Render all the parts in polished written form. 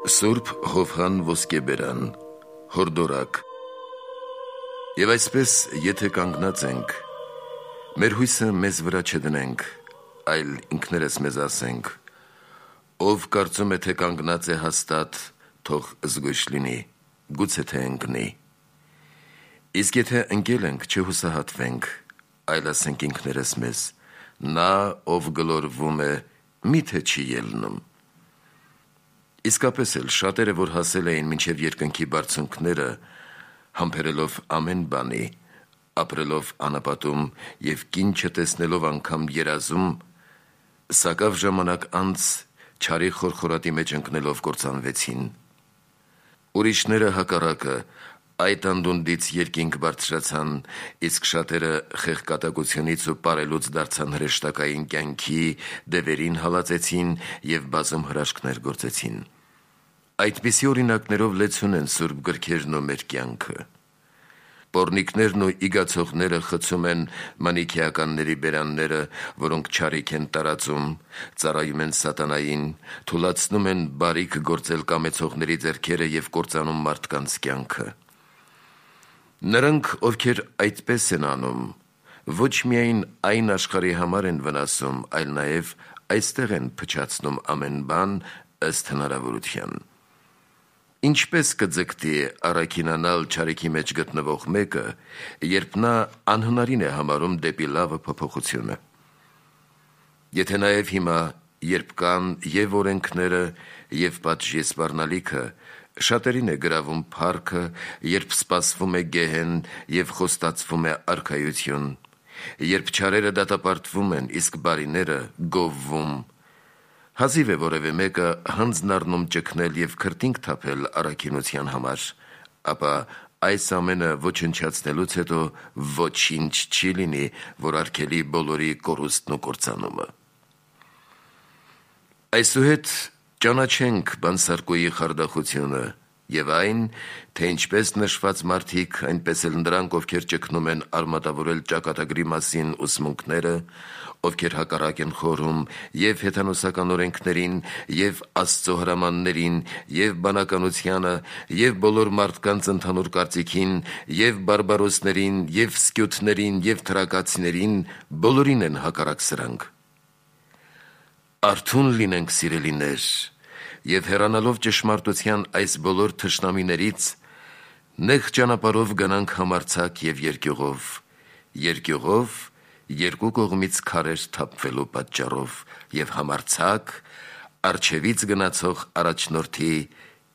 Սուրբ Հովհան ոսկեբերան, հորդորակ։ Եվ այսպես, եթե կանգնած ենք, մեր հույսը մեզ վրա չդնենք, այլ ինքներս մեզ ասենք, ով կարծում է, թե կանգնած է հաստատ, թող զգույշ լինի, գուցե թե ընկնի։ Իսկ եթե ընկել ենք, չհուսահատվենք, այլ ասենք ինքներս մեզ, նա, ով գլորվում է, միթե չի ելնում։ Իսկապես էլ շատերը, որ հասել էին մինչև երկնքի բարձունքները, համբերելով ամեն բանի, ապրելով անապատում և կին չտեսնելով անգամ երազում, սակավ ժամանակ անց չարի խորխորատի մեջ ընկնելով կործանվեցին։ Ուրիշները հակառակը այդ անդունդից երկինք բարձրացան, իսկ շատերը խեղկատակությունից ու պարելուց դարձան հրեշտակային կյանքի, դևերին հալածեցին և բազում հրաշքներ գործեցին։ Այդպիսի օրինակներով լեցուն են սուրբ գրքերն ու մեր կյանքը։ Պոռնիկներն ու իգացողները խցում են մանիքեականների բերանները, որոնք չարիք են տարածում, ծառայում են սատանային, թուլացնում են բարիք գործել կամեցողների ձեռքերը և կործանում մարդկանց կյանքը։ Նրանք, ովքեր այդպես են անում, ոչ միայն այն աշխարհի համար են վնասում, այլ նաև այստեղ են փչացնում ամեն բան ըստ հնարավորության։ Ինչպես կձգտի առաքինանալ չարիքի մեջ գտնվող մեկը, երբ նա անհնարին է համարում դեպի լավը փոփոխությունը։ Եթե նաև հիմա, երբ կան և օրենքները, և պատժի սպառնալիքը, շատերին է գրավում փառքը, երբ սպասվում է գեհեն և խոստացվում է արքայություն, երբ չարերը դատապարտվում են, իսկ բարիները գովվում, հազիվ է որևէ մեկը հանձն առնում ճգնել և քրտինք թափել առաքինության համար, ապա այս ամենը ոչնչացնելուց հետո ոչինչ չի լինի, որ արգելի բոլորի կորուստն ու կործանումը։ Այսուհետ ճանաչենք բանսարկուի խարդախությունը և այն, թե ինչպես նշված մարդիկ, այնպես էլ նրանք, ովքեր ճգնում են արմատավորել ճակատագրի մասին ուսմունքները, ովքեր հակառակ են խորհում և հեթանոսական օրենքներին, և Աստծո հրամաններին, և բանականությանը, և բոլոր մարդկանց ընդհանուր կարծիքին, և բարբարոսներին, և սկյութներին, և թրակացիներին, բոլորին են հակառակ սրանք։ Արթուն լինենք, սիրելիներ, և հեռանալով ճշմարտության այս բոլոր թշնամիներից, նեղ ճանապարհով գնանք համարձակ և երկյուղով, երկու կողմից քարեր թափվելու պատճառով, և համարձակ առջևից գնացող առաջնորդի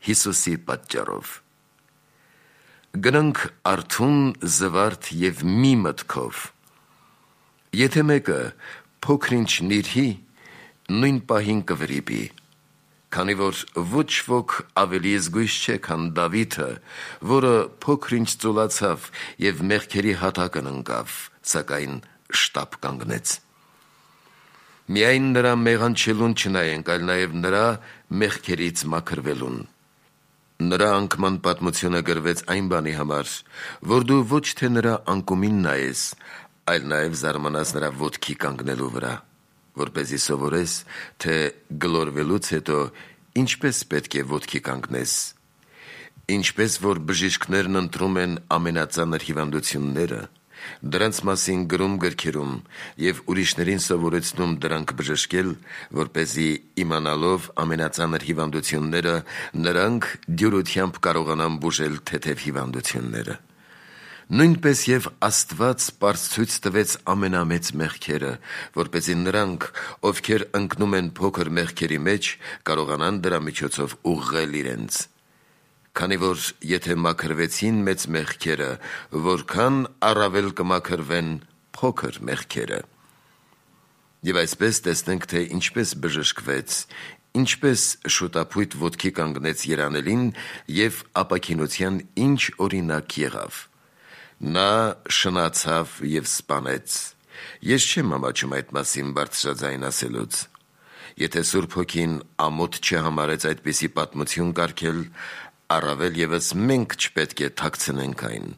Հիսուսի պատճառով։ Գնանք արթուն, զվարթ և մի մտքով։ Եթե մեկը փոքր-ինչ նիրհի, նույն պահին կվրիպի, քանի որ ոչ ոք ավելի զգույշ չէ, քան Դավիթը, որը փոքր-ինչ ծուլացավ և մեղքերի հատակն ընկավ, սակայն շտապ կանգնեց։ Միայն նրա մեղանչելուն չնայենք, այլ նաև նրա մեղքերից մաքրվելուն։ Նրա անկման պատմությունը գրվեց այն բանի համար, որ դու ոչ թե նրա անկումին նայես, այլ նաև զարմանաս նրա ոտքի կանգնելու վրա, որպեսզի սովորես, թե գլորվելուց հետո ինչպես պետք է ոտքի կանգնես, ինչպես որ բժիշկներն ընտրում են ամենածանր հիվանդությունները, դրանց մասին գրում գրքերում և ուրիշներին սովորեցնում դրանք բժշկել, որպեսզի իմանալով ամենածանր հիվանդությունները, նրանք դյուրությամբ կարողանան բուժել թեթև հիվանդությունները։ Նույնպես և Աստված պարզ ցույց տվեց ամենամեծ մեղքերը, որպեսզի նրանք, ովքեր ընկնում են փոքր մեղքերի մեջ, կարողանան դրա միջոցով ուղղել իրենց։ Քանի որ եթե մաքրվեցին մեծ մեղքերը, որքան առավել կմաքրվեն փոքր մեղքերը։ Եվ այսպես տեսնենք, թե ինչպես բժշկվեց, ինչպես շուտափույթ ոտքի կանգնեց երանելին և ապաքինության ինչ օրինակ եղավ։ Նա շնացավ և սպանեց։ Ես չեմ ամաչում այդ մասին բարձրաձայն ասելուց։ Եթե Սուրբ Հոգին ամոթ չհամարեց այդպիսի պատմություն կարգել, առավել ևս մենք չպետք է թաքցնենք այն։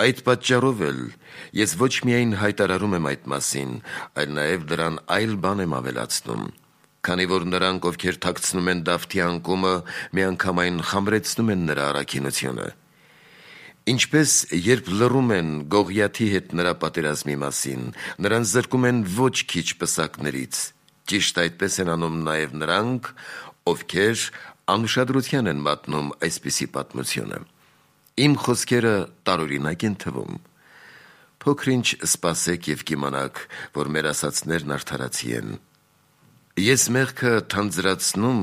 Այդ պատճառով էլ ես ոչ միայն հայտարարում եմ այդ մասին, այլ նաև դրան այլ բան եմ ավելացնում, քանի որ նրանք, ովքեր թաքցնում են Դավթի անկումը, միանգամայն խամրեցնում են նրա առաքինությունը։ Ինչպես երբ լռում են Գողիաթի հետ նրա պատերազմի մասին, նրան զրկում են ոչ քիչ պսակներից, ճիշտ այդպես են անում նաև նրանք, ովքեր անուշադրության են մատնում այսպիսի պատմությունը։ Իմ խոսքերը տարօրինակ են թվում։ Փոքր-ինչ սպասեք և կիմանաք, որ մեր ասածներն արդարացի են։ Ես մեղքը թանձրացնում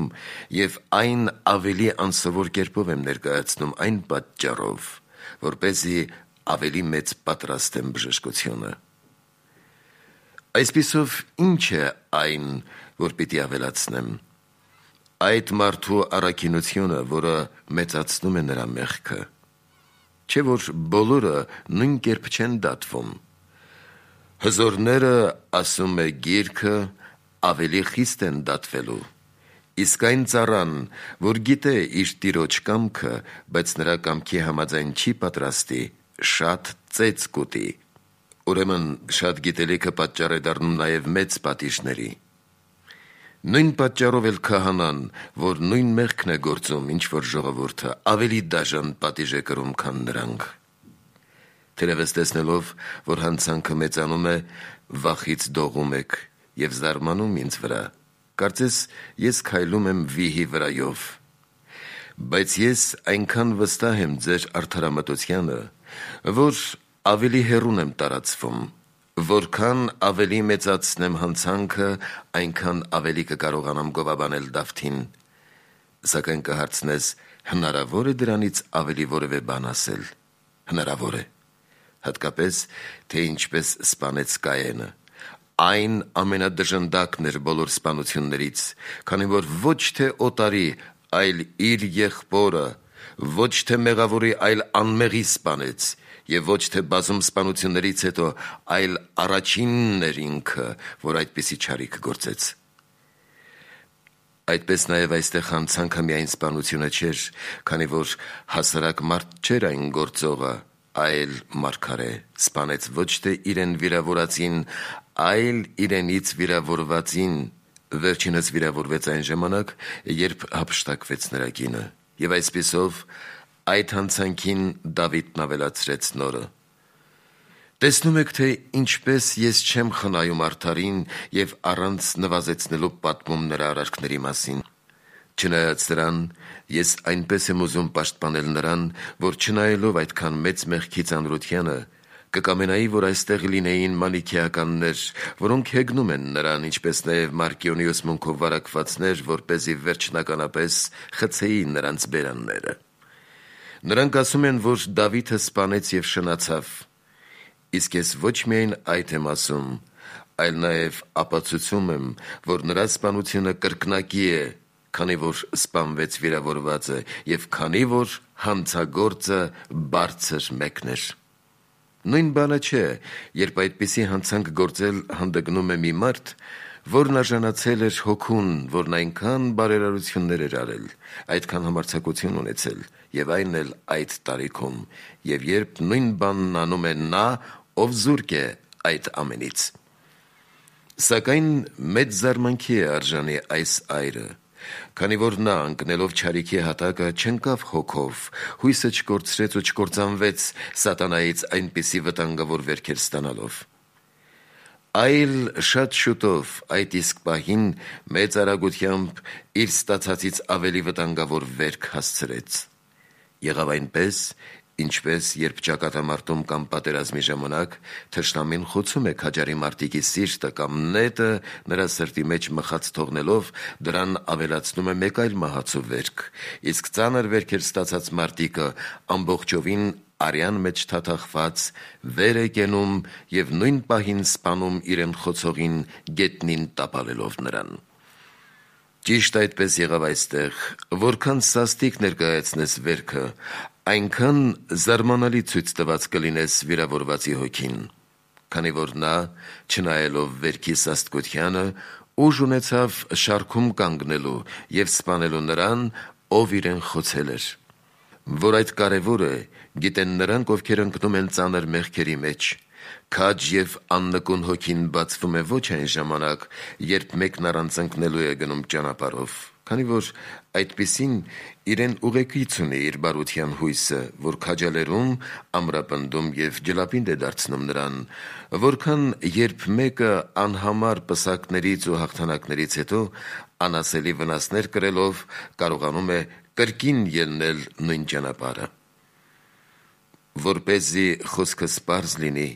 և այն ավելի անսովոր կերպով եմ ներկայացնում այն պատճառով, որպեսզի ավելի մեծ պատրաստեմ բժշկությունը։ Այսպիսով ինչ է այն, որ պիտի ավելացնեմ։ Այդ մարդու առաքինությունը, որը մեծացնում է նրա մեղքը, չէ որ բոլորը նույն կերպ չեն դատվում։ Հզորները, ասում է գիրքը, ավելի խիստ են դատվելու, իսկ այն ծառան, որ գիտե իր տիրոջ կամքը, բայց նրա կամքի համաձայն չի պատրաստի, շատ ծեծ կուտի։ Ուրեմն շատ գիտելիքը պատճառ է դառնում նաև մեծ պատիժների։ Նույն պատճառով էլ քահանան, որ նույն մեղքն է գործում, ինչ որ ժողովուրդը, ավելի դաժան պատիժ է կրում, քան նրանք։ Թերևս տեսնելով, որ հանցանքը մեծանում է, վախից դողում եք և զարմանում ինձ վրա, կարծես ես քայլում եմ վիհի վրայով։ Բայց ես այնքան վստահ եմ ձեր արդարամտությանը, որ ավելի հեռուն եմ տարածվում, որքան ավելի մեծացնեմ հանցանքը, այնքան ավելի կկարողանամ գովաբանել Դավթին։ Սակայն կհարցնես, հնարավոր է դրանից ավելի որևէ բան ասել։ Հնարավոր է, հատկապես, թե ինչպես սպանեց Կայենը։ Այն ամենադժնդակն էր բոլոր սպանություններից, քանի որ ոչ թե օտարի, այլ իր եղբորը, ոչ թե մեղավորի, այլ անմեղի սպանեց, և ոչ թե բազում սպանություններից հետո, այլ առաջինն էր ինքը, որ այդպիսի չարիք գործեց։ Այդպես նաև այստեղ հանցանքը միայն սպանությունը չէր, քանի որ հասարակ մարդ չէր այն գործողը, այլ մարգարե, սպանեց ոչ թե իրեն վիրավորածին, այլ իրենից վիրավորվածին, վերջինս վիրավորվեց այն ժամանակ, երբ հափշտակվեց նրա կինը, և այսպիսով այդ հանցանքին Դավիթն ավելացրեց նորը։ Տեսնում եք, թե ինչպես ես չեմ խնայում արդարին և առանց նվազեցնելու պատմում նրա արարքների մասին։ Չնայած դրան, ես այնպես եմ ուզում պաշտպանել նրան, որ չնայելով այդքան մեծ մեղքի ծանրությանը, կկամենայի, որ այստեղ լինեին մանիքեականներ, որոնք հեգնում են նրան, ինչպես նաև Մարկիոնի ուսմունքով վարակվածներ, որպեսզի վերջնականապես խցեին նրանց բերանները։ Նրանք ասում են, որ Դավիթը սպանեց և շնացավ, իսկ ես ոչ միայն այդ եմ ասում, այլ նաև ապացուցում եմ, որ նրա սպանությունը կրկնակի է, քանի որ սպանվեց վիրավորվածը և քանի որ հանցագործը բարձր մեկն էր։ Նույն բանը չէ, երբ այդպիսի հանցանք գործել հանդգնում է մի մարդ, որն արժանացել էր հոգուն, որն այնքան բարերարություններ էր արել, այդքան համարձակություն ունեցել, և այն էլ այդ տարիքում, և երբ նույն բանն անում է նա, ով զուրկ է այդ ամենից։ Սակայն մեծ զարմանքի է արժանի այս այրը, քանի որ նա ընկնելով չարիքի հատակը չընկավ հոգով, հույսը չկորցրեց ու չկործանվեց սատանայից այնպիսի վտանգավոր վերքեր ստանալով։ Այլ շատ շուտով այդ իսկ պահին մեծ արագությամբ իր ստացածից ավելի վտանգավոր վերք հասցրեց։ Եղավ այնպես, ինչպես երբ ճակատամարտում կամ պատերազմի ժամանակ թշնամին խոցում է քաջարի մարտիկի սիրտը կամ նետը նրա սրտի մեջ մխած թողնելով, դրան ավելացնում է մեկ այլ մահացու վերք, իսկ ծանր վերքեր ստացած մարտիկը ամբողջովին արյան մեջ թաթախված վեր է կենում և նույն պահին սպանում իրեն խոցողին գետնին տապալելով նրան։ Ճիշտ այդպես եղավ այստեղ, որքան սաստիկ ներկայացնես վերքը, այնքան զարմանալի ցույց տված կլինես վիրավորվածի հոգին, քանի որ նա, չնայելով վերքի սաստկությանը, ուժ ունեցավ շարքում կանգնելու և սպանելու նրան, ով իրեն խոցել էր։ Որ այդ կարևոր է, Գիտեն նրանք, ովքեր ընկնում են ծանր մեղքերի մեջ։ Քաջ և աննկուն հոգին բացվում է ոչ այն ժամանակ, երբ մեկն առանց ընկնելու է գնում ճանապարհով, քանի որ այդպիսին իրեն ուղեկից ունի իր բարության հույսը, որ քաջալերում, ամրապնդում և ջլապինդ է դարձնում նրան, որքան երբ մեկը անհամար պսակներից ու հաղթանակներից հետո անասելի վնասներ կրելով կարողանում է կրկին ելնել նույն ճանապարհը։ Որպեսզի խոսքս պարզ լինի,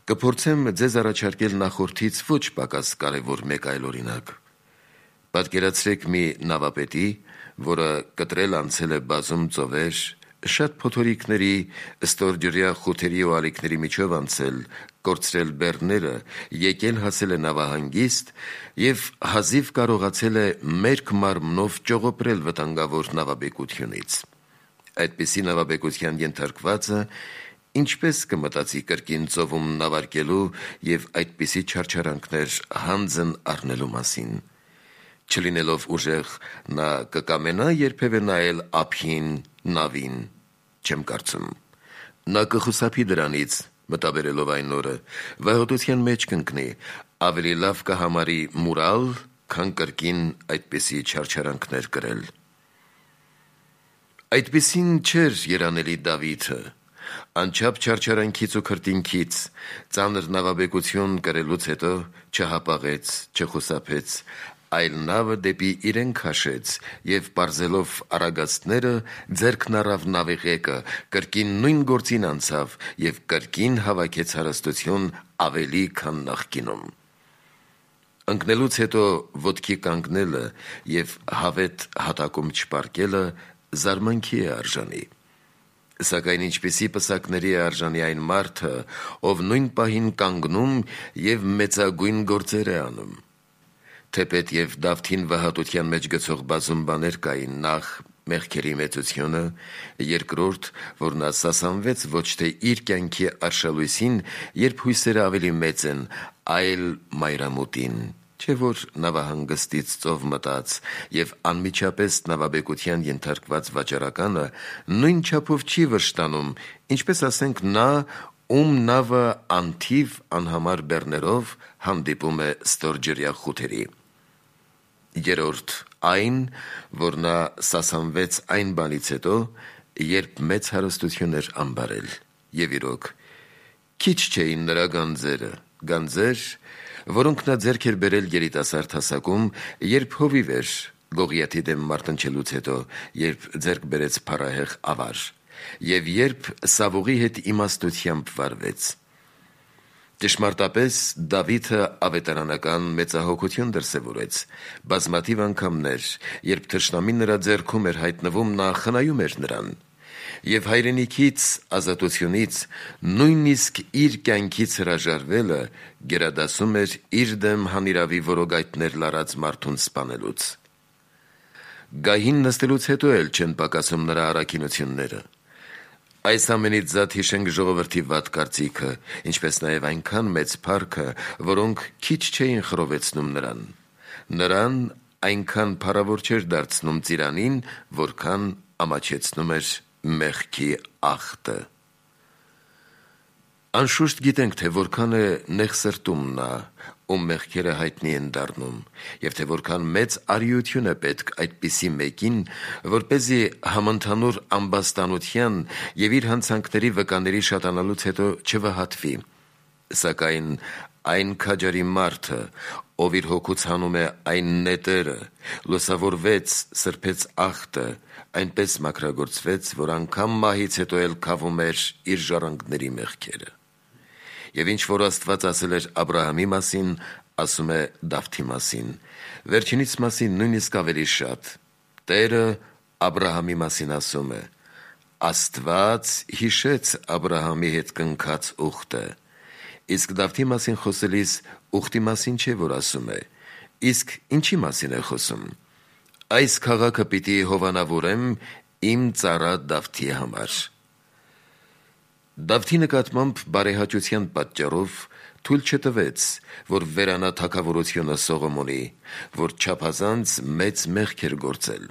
կփորձեմ ձեզ առաջարկել նախորդից ոչ պակաս կարևոր մեկ այլ օրինակ։ Պատկերացրեք մի նավապետի, որը կտրել անցել է բազում ծովեր, շատ փոթորիկների, ստորջրյա խութերի ու ալիքների միջով անցել, կորցրել բեռները, եկել հասել է նավահանգիստ և հազիվ կարողացել է մերկ մարմնով ճողոպրել վտանգավոր նավաբեկությունից։ Այդպիսի նավաբեկության ենթարկվածը ինչպես կմտածի կրկին ծովում նավարկելու և այդպիսի չարչարանքներ հանձն առնելու մասին։ Չլինելով ուժեղ, նա կկամենա երբևէ նայել ափին, նավին։ Չեմ կարծում։ Նա կխուսափի դրանից, մտաբերելով այն օրը, վհոտության մեջ կընկնի, ավելի լավ կհամարի մուրալ, քան կրկին այդպիսի չարչարանքներ կրել։ Այդպիսին չէր երանելի Դավիթը։ Անչափ չարչարանքից ու քրտինքից, ծանր նավաբեկություն կրելուց հետո չհապաղեց, չխուսափեց, այլ նավը դեպի իրեն քաշեց և պարզելով առագաստները ձեռքն առավ նավի ղեկը, կրկին նույն գործին անցավ և կրկին հավաքեց հարստություն ավելի, քան նախկինում։ Ընկնելուց հետո ոտքի կանգնելը և հավետ հատակում չպառկելը զարմանքի է արժանի։ Սակայն ինչպիսի պսակների է արժանի այն մարդը, ով նույն պահին կանգնում և մեծագույն գործեր է անում։ Թեպետ և Դավթին վհատության մեջ գցող բազում բաներ կային, նախ մեղքերի մեծությունը, երկրորդ, որ նա սասանվեց ոչ թե իր կյանքի արշալույսին, երբ հույսերը ավելի մեծ են, այլ մայրամուտին, չէ որ նավահանգստից ծով մտած և անմիջապես նավաբեկության ենթարկված վաճառականը նույն չափով չի վշտանում, ինչպես ասենք նա, ում նավը անթիվ անհամար բեռներով հանդիպում է ստորջրյա խութերի։ Երրորդ, այն, որ նա սասանվեց այն բանից հետո, երբ մեծ հարստություն էր ամբարել, և իրոք, քիչ չէին նրա գանձեր, որոնք նա ձեռք էր բերել երիտասարդ հասակում, երբ հովիվ էր Գողիաթի դեմ մարտնչելուց հետո, երբ ձեռք բերեց փառահեղ ավար, և երբ Սավուղի հետ իմաստությամբ վարվեց։ Ճշմարտապես Դավիթը ավետարանական մեծահոգություն դրսևորեց։ Բազմաթիվ անգամներ, երբ թշնամին նրա ձեռքում էր հայտնվում, նա խնայում էր նրան, և հայրենիքից, ազատությունից, նույնիսկ իր կյանքից հրաժարվելը գերադասում էր իր դեմ հանիրավի որոգայթներ լարած մարդուն սպանելուց։ Գահին նստելուց հետո էլ չեն պակասում նրա առաքինությունները։ Այս ամենից զատ հիշենք ժողովրդի վատ կարծիքը, ինչպես նաև այնքան մեծ փառքը, որոնք քիչ չէին խռովեցնում նրան։ Նրան այնքան փառավոր չէր դարձնում ծիրանին, որքան ամաչեցնում էր մեղքի ախտը։ Անշուշտ գիտենք, թե որքան է նեղսրտում նա, ում մեղքերը հայտնի են դառնում, և թե որքան մեծ արիություն է պետք այդպիսի մեկին, որպեսզի համընդհանուր ամբաստանության և իր հանցանքների վկաների շատանալուց հետո չվհատվի։ Սակայն այն քաջարի մարդը, ով իր հոգուց հանում է այն նետերը, լուսավորվեց, սրբեց ախտը, այնպես մաքրագործվեց, որ անգամ մահից հետո էլ քավում էր իր ժառանգների մեղքերը։ Եվ ինչ որ Աստված ասել էր Աբրահամի մասին, ասում է Դավթի մասին, վերջինիս մասին նույնիսկ ավելի շատ։ Տերը Աբրահամի մասին ասում է. Աստված հիշեց Աբրահամի հետ կնքած ուխտը։ Իսկ Դավթի մասին խոսելիս ուխտի մասին չէ, որ ասում է, իսկ ինչի մասին է խոսում։ Այս քաղաքը պիտի հովանավորեմ իմ ծառա Դավթի համար։ Դավթի նկատմամբ բարեհաճության պատճառով թույլ չտվեց, որ վերանա թագավորությունը Սողոմոնի, որ չափազանց մեծ մեղք էր գործել։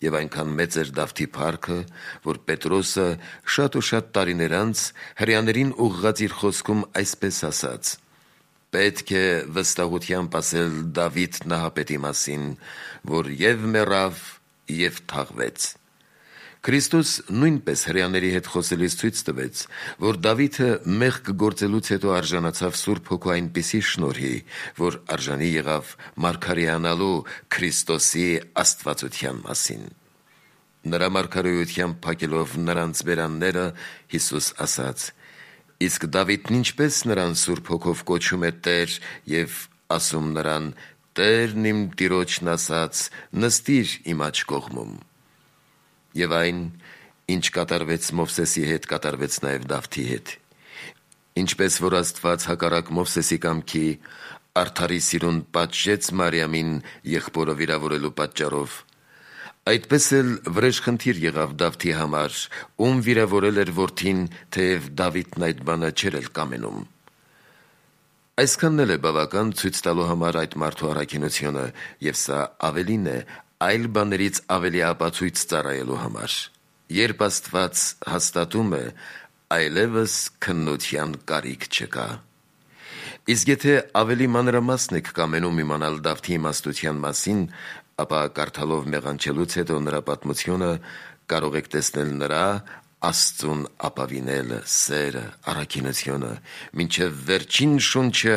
Եվ այնքան մեծ էր Դավթի փառքը, որ Պետրոսը շատ ու շատ տարիներ անց հրեաներին ուղղած իր խոսքում այսպես ասաց. «Պետք է վստահությամբ ասել Դավիթ նահապետի մասին, որ և մեռավ, և թաղվեց»։ Քրիստոս նույնպես հրեաների հետ խոսելիս ցույց տվեց, որ Դավիթը մեղք գործելուց հետո արժանացավ Սուրբ Հոգու այնպիսի շնորհի, որ արժանի եղավ մարգարեանալու Քրիստոսի աստվածության մասին։ Նրա մարգարեությամբ փակելով նրանց բերանները, Հիսուս ասաց. «Իսկ Դավիթն ինչպես նրան Սուրբ Հոգով կոչում է Տեր և ասում նրան. Տերն իմ Տիրոջն ասաց. նստիր իմ աջ կողմում։ Եվ այն, ինչ կատարվեց Մովսեսի հետ, կատարվեց նաև Դավթի հետ։ Ինչպես որ Աստված հակառակ Մովսեսի կամքի արդարի սիրուն պատժեց Մարիամին եղբորը վիրավորելու պատճառով, այդպես էլ վրեժխնդիր եղավ Դավթի համար, ում վիրավորել էր որդին, թեև Դավիթն այդ բանը չէր էլ կամենում։ Այսքանն էլ է բավական ցույց տալու համար այդ մարդու առաքինությունը, և սա ավելին է այլ բաներից ավելի ապացույց ծառայելու համար։ Երբ Աստված հաստատում է, այլևս քննության կարիք չկա։ Իսկ եթե ավելի մանրամասն եք կամենում իմանալ Դավթի իմաստության մասին, ապա կարդալով մեղանչելուց հետո նրա պատմությունը կարող եք տեսնել նրա Աստծուն ապավինելը, սերը, առաքինությունը, մինչև վերջին շունչը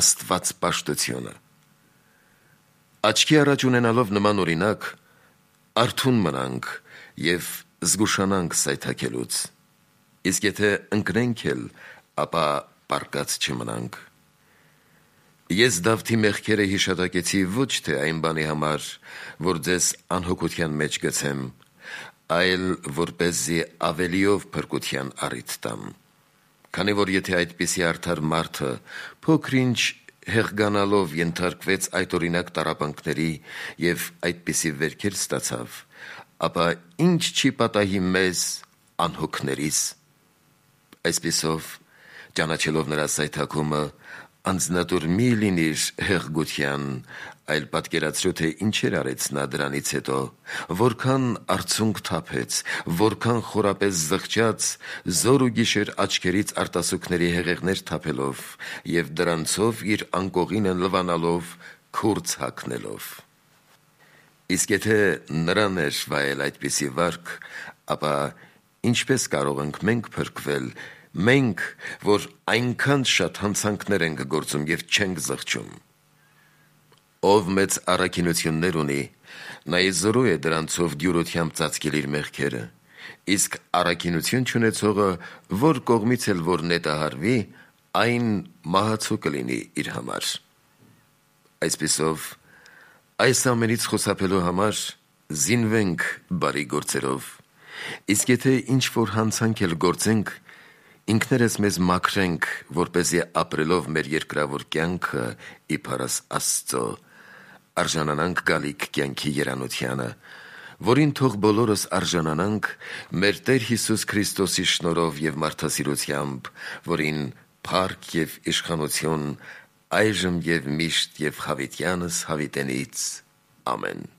աստվածպաշտությունը։ Աչքի առաջ ունենալով նման օրինակ, արթուն մնանք և զգուշանանք սայթաքելուց։ Իսկ եթե ընկնենք էլ, ապա պառկած չմնանք։ Ես Դավթի մեղքերը հիշատակեցի ոչ թե այն բանի համար, որ ձեզ անհոգության մեջ գցեմ, այլ որպեսզի ավելիով փրկության առիթ տամ։ Քանի որ եթե այդպիսի արդար մարդը փոքր-ինչ հեղգանալով ենթարկվեց այդ օրինակ տառապանքների և այդպիսի վերքեր ստացավ, ապա ինչ չի պատահի մեզ անհոգներիս։ Այսպիսով, ճանաչելով նրա սայթաքումը, անձնատուր մի լինիր հեղգության, այլ պատկերացրու, թե ինչեր արեց նա դրանից հետո, որքան արցունք թափեց, որքան խորապես զղջաց, զոր ու գիշեր աչքերից արտասուքների հեղեղներ թափելով և դրանցով իր անկողինը լվանալով, քուրձ հագնելով։ Իսկ եթե նրան էր վայել այդպիսի վարք, ապա ինչպես կարող ենք մենք փրկվել, մենք, որ այնքան շատ հանցանքներ ենք գործում և չենք զղջում։ Ով մեծ առաքինություններ ունի, նա զորու է դրանցով դյուրությամբ ծածկել իր մեղքերը, իսկ առաքինություն չունեցողը, որ կողմից էլ որ նետահարվի, այն մահացու կլինի իր համար։ Այսպիսով, այս ամենից խուսափելու համար զինվենք բարի գործերով, իսկ եթե ինչ-որ հանցանք էլ գործենք, ինքներս մեզ մաքրենք, որպեսզի ապրելով մեր երկրավոր կյանքը իբր Աստծո, արժանանանք գալիք կյանքի երանությանը, որին թող բոլորս արժանանանք մեր Տեր Հիսուս Քրիստոսի շնորհով և մարդասիրությամբ, որին փառք և իշխանություն այժմ և միշտ և հավիտյանս հավիտենից։ Ամեն։